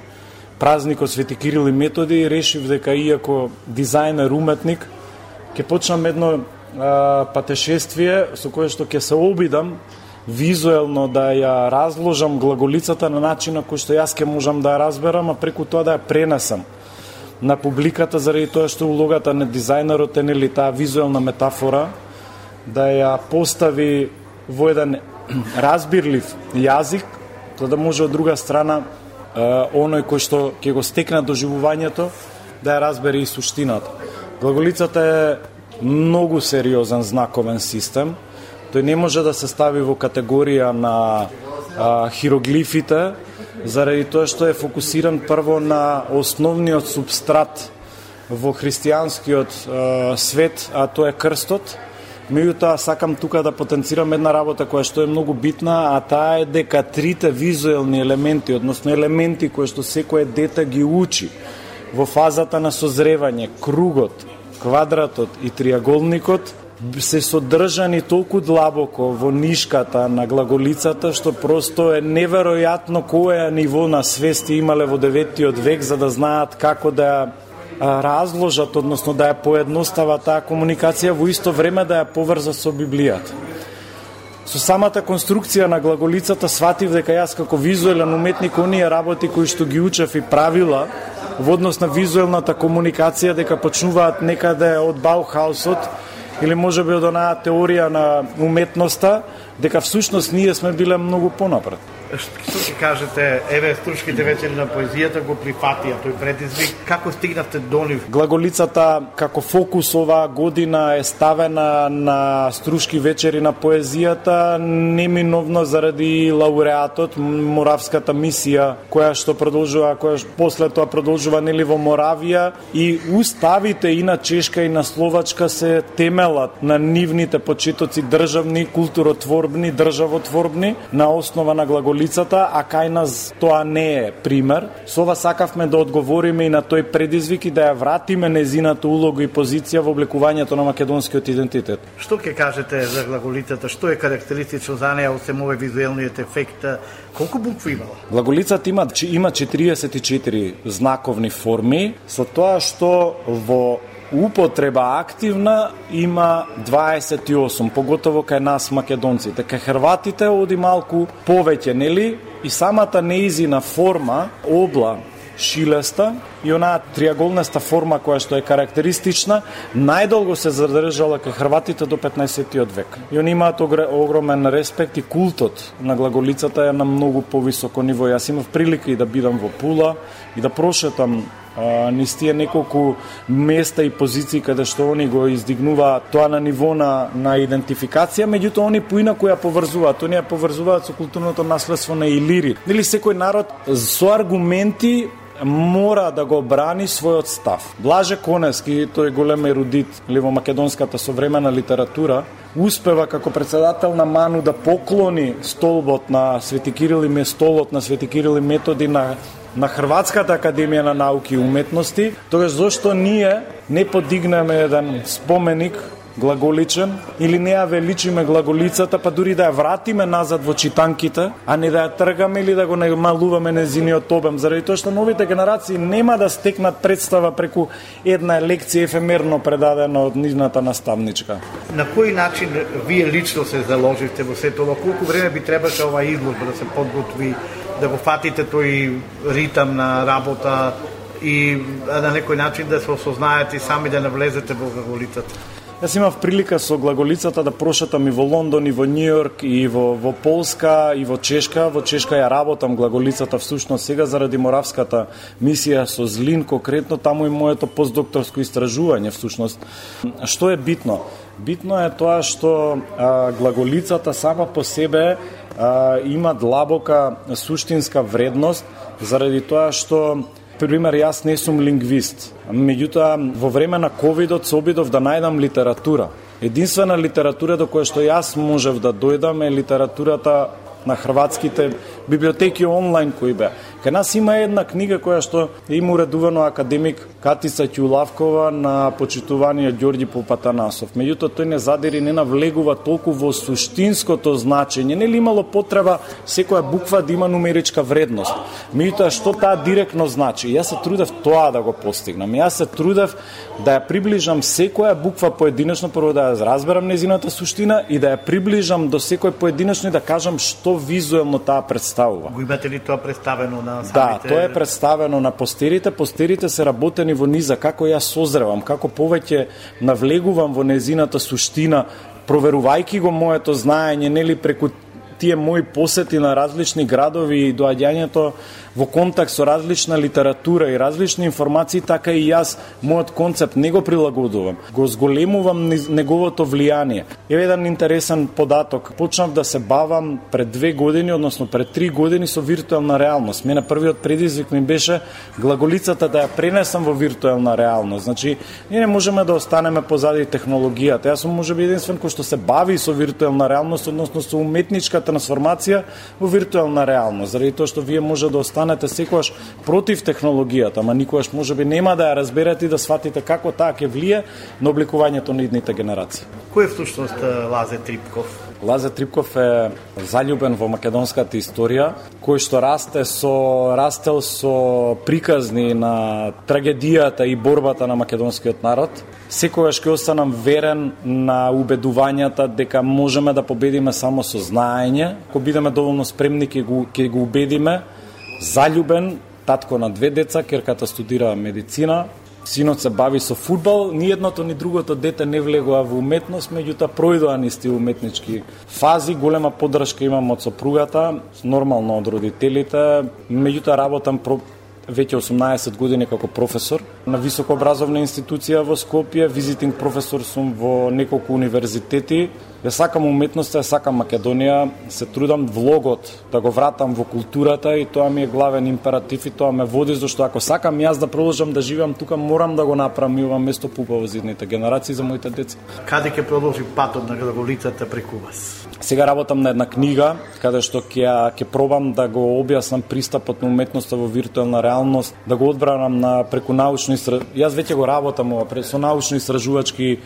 празникот Свети Кирил и Методи и решив дека иако дизајнер, уметник, ќе почнам едно а, патешествие со кое што ќе се обидам визуелно да ја разложам глаголицата на начин на кој што јас ќе можам да ја разберам, а преку тоа да ја пренесам на публиката, заради тоа што улогата на дизајнерот е нели таа визуелна метафора, да ја постави во еден разбирлив јазик, за да може од друга страна оној кој што ќе го стекне доживувањето да ја разбере и суштината. Глаголицата е многу сериозен знаковен систем. Тој не може да се стави во категорија на а, хироглифите, заради тоа што е фокусиран прво на основниот субстрат во христијанскиот а, свет, а тоа е крстот. Меѓутоа, сакам тука да потенцирам една работа која што е многу битна, а таа е дека трите визуелни елементи, односно елементи кои што секое дете ги учи во фазата на созревање, кругот, квадратот и триаголникот, се содржани толку длабоко во нишката на глаголицата, што просто е неверојатно која ниво на свести имале во деветиот век за да знаат како да разложат, односно да ја поедностава таа комуникација, во исто време да ја поврза со Библијата. Со самата конструкција на глаголицата сватив дека јас како визуелен уметник оние работи кои што ги учев и правила во однос на визуелната комуникација дека почнуваат некаде од Баухаусот или може би од онаа теорија на уметноста, дека всушност ние сме биле многу понапред. Што ќе кажете, еве струшките вечери на поезијата го прифатија тој предизвик, како стигнавте до нив? Глаголицата како фокус оваа година е ставена на струшки вечери на поезијата неминовно заради лауреатот, Моравската мисија, која што продолжува, која после тоа продолжува нели во Моравија, и уставите и на Чешка и на Словачка се темелат на нивните почетоци државни, културотворбни, државотворбни, на основа на глаголицата, а кај нас тоа не е пример. Со ова сакавме да одговориме и на тој предизвик и да ја вратиме незината улога и позиција во облекувањето на македонскиот идентитет. Што ќе кажете за глаголицата? Што е карактеристично за неа, освен овој визуелниот ефект? Колку букви имала? Глаголицата има има четириесет и четири знаковни форми, со тоа што во употреба активна има дваесет и осум, поготово кај нас македонците. Кај хрватите оди малку повеќе, нели? И самата неизина форма, обла, шилеста и онаа триаголнеста форма која што е карактеристична, најдолго се задржала кај хрватите до петнаесеттиот век. И они имаат огромен респект и култот на глаголицата е на многу повисоко ниво. Јас имав прилика и да бидам во Пула и да прошетам низ тие неколку места и позиции каде што они го издигнуваат тоа на ниво на, на идентификација, меѓутоа они поинаку ја поврзуваат, они ја поврзуваат со културното наследство на Илири. Или секој народ со аргументи мора да го брани својот став. Блаже Коневски, тој голем ерудит или во македонската современа литература, успева како председател на МАНУ да поклони столбот на Свети Кирил и столот на Свети Кирил и Методи на на Хрватската академија на науки и уметности, тогаш зошто ние не подигнеме еден споменик глаголичен или не ја величиме глаголицата, па дури да ја вратиме назад во читанките, а не да ја тргаме или да го намалуваме незиниот обем, заради тоа што новите генерации нема да стекнат представа преку една лекција ефемерно предадена од нивната наставничка. На кој начин вие лично се заложивте во сето ова? Колку време би требаше ова изложба да се подготви, да го фатите тој ритам на работа и на некој начин да се осознаете и сами да навлезете во глаголицата? Јас имав прилика со глаголицата да прошетам и во Лондон, и во Њујорк, и во, во Полска, и во Чешка. Во Чешка ја работам глаголицата всушност сега заради Моравската мисија со Злин, конкретно таму и моето постдокторско истражување всушност. Што е битно? Битно е тоа што а, глаголицата сама по себе а, има длабока суштинска вредност, заради тоа што пример, јас не сум лингвист, меѓутоа во време на ковидот се обидов да најдам литература. Единствена литература до која што јас можев да дојдам е литературата на хрватските библиотеки онлайн кои беа. Кај нас има една книга која што има уредувано академик Катица Ќулавкова на почитуваниот Ѓорѓи Попатанасов. Меѓутоа тој не задири, не навлегува толку во суштинското значење. Нели имало потреба секоја буква да има нумеричка вредност. Меѓутоа што таа директно значи? Јас се трудев тоа да го постигнам. Јас се трудев да ја приближам секоја буква поединечно, прво да ја разберам незината суштина и да ја приближам до секој поединечно и да кажам што визуелно таа представува. Го имате ли тоа представено на самите? Да, тоа е представено на постерите. Постерите се работени во низа, како јас созревам, како повеќе навлегувам во незината суштина, проверувајќи го моето знаење, нели преку тие мои посети на различни градови и доаѓањето во контакт со различна литература и различни информации, така и јас мојот концепт не го прилагодувам, го зголемувам неговото влијание. Еве еден интересен податок. Почнав да се бавам пред две години, односно пред три години со виртуелна реалност. Мене првиот предизвик ми беше глаголицата да ја пренесам во виртуелна реалност. Значи, ние не можеме да останеме позади технологијата. Јас сум можеби единствен кој што се бави со виртуелна реалност, односно со уметничка трансформација во виртуелна реалност. Заради тоа што вие може да останете секогаш против технологијата, ама никогаш можеби нема да ја разберете и да сватите како таа ќе влие на обликувањето на идните генерации. Кој е всушност Лазе Трипков? Лазе Трипков е заљубен во македонската историја, кој што расте со растел со приказни на трагедијата и борбата на македонскиот народ. Секогаш ќе останам верен на убедувањата дека можеме да победиме само со знаење. Ако бидеме доволно спремни, ќе го, ќе го убедиме. Заљубен, татко на две деца, керката студира медицина, синот се бави со фудбал, ни едното ни другото дете не влегува во уметност, меѓутоа пројдоа ни сти уметнички фази, голема поддршка имам од сопругата, нормално од родителите, меѓутоа работам про веќе осумнаесет години како професор на високообразовна институција во Скопје, визитинг професор сум во неколку универзитети. Ја сакам уметноста, ја сакам Македонија, се трудам влогот да го вратам во културата и тоа ми е главен императив и тоа ме води, зашто ако сакам јас да продолжам да живеам тука, морам да го направам и ова место поубаво за идните генерации, за моите деца. Каде ќе продолжи патот на глаголицата преку вас? Сега работам на една книга, каде што ќе ќе пробам да го објаснам пристапот на уметноста во виртуелна реалност, да го одбранам на преку научни истражувања. Јас веќе го работам ова со научно истражувачки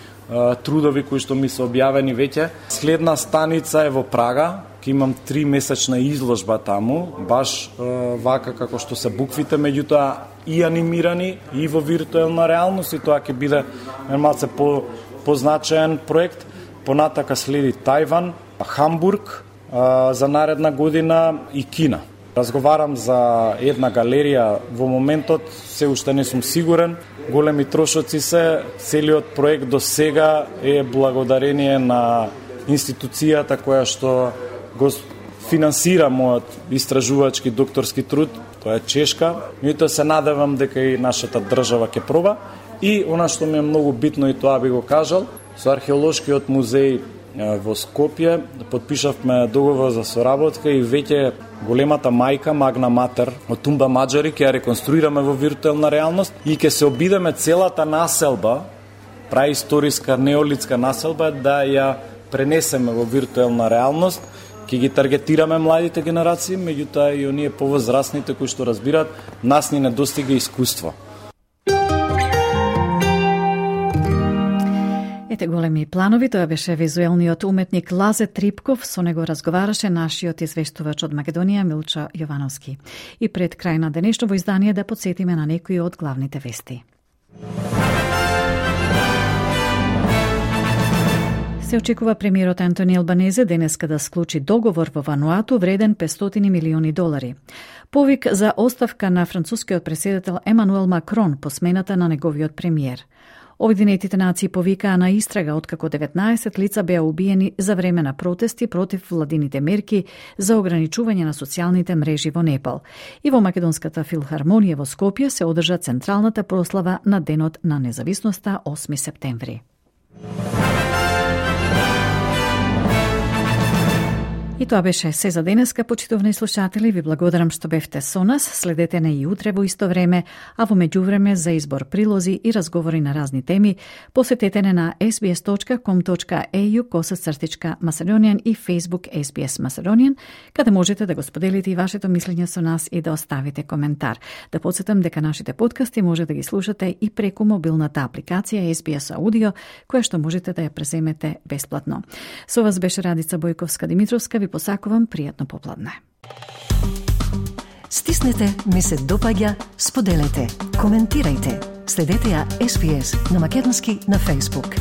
трудови кои што ми се објавени веќе. Следна станица е во Прага, ќе имам три месечна изложба таму, баш е, вака како што се буквите, меѓутоа и анимирани и во виртуелна реалност, и тоа ќе биде малце по позначаен проект. Понатака следи Тајван, Хамбург а, за наредна година и Кина. Разговарам за една галерија во моментот, се уште не сум сигурен. Големи трошоци се, целиот проект до сега е благодарение на институцијата која што го финансира мојот истражувачки докторски труд, тоа е чешка. Меѓутоа се надевам дека и нашата држава ќе проба. И она што ми е многу битно, и тоа би го кажал, со археолошкиот музеј во Скопје потпишавме договор за соработка и веќе големата мајка, Магна Матер од Тумба Маџари ќе ја реконструираме во виртуелна реалност и ќе се обидеме целата населба, праисториска неолитска населба, да ја пренесеме во виртуелна реалност. Ќе ги таргетираме младите генерации, меѓутоа и оние повозрастните кои што разбираат, нас ни недостига искуство. Ете големи планови, тоа беше визуелниот уметник Лазе Трипков, со него разговараше нашиот извештувач од Македонија Милчо Јовановски. И пред крај на денешното издание да подсетиме на некои од главните вести. Се очекува премиерот Антони Албанезе денеска да склучи договор во Вануату вреден петстотини милиони долари. Повик за оставка на францускиот претседател Емануел Макрон по смената на неговиот премиер. Обединетите нации повикаа на истрага откако деветнаесет лица беа убиени за време на протести против владините мерки за ограничување на социјалните мрежи во Непал. И во Македонската филхармонија во Скопје се одржа централната прослава на Денот на независноста осми септември. И тоа беше се за денеска, почитувани слушатели. Ви благодарам што бевте со нас. Следете не и утре во исто време, а во меѓувреме за избор прилози и разговори на разни теми, посетете не на ес би ес точка ком точка е ю косацртичка Macedonian и Facebook ес би ес Macedonian, каде можете да го споделите и вашето мислење со нас и да оставите коментар. Да подсетам дека нашите подкасти може да ги слушате и преку мобилната апликација ес би ес Audio, која што можете да ја преземете бесплатно. Со вас беше Радица Бојковска-Димитровска. Ви посакувам пријатно попладне. Стиснете, ми се допаѓа, споделете, коментирајте. Следете ја ес би ес на македонски на Facebook.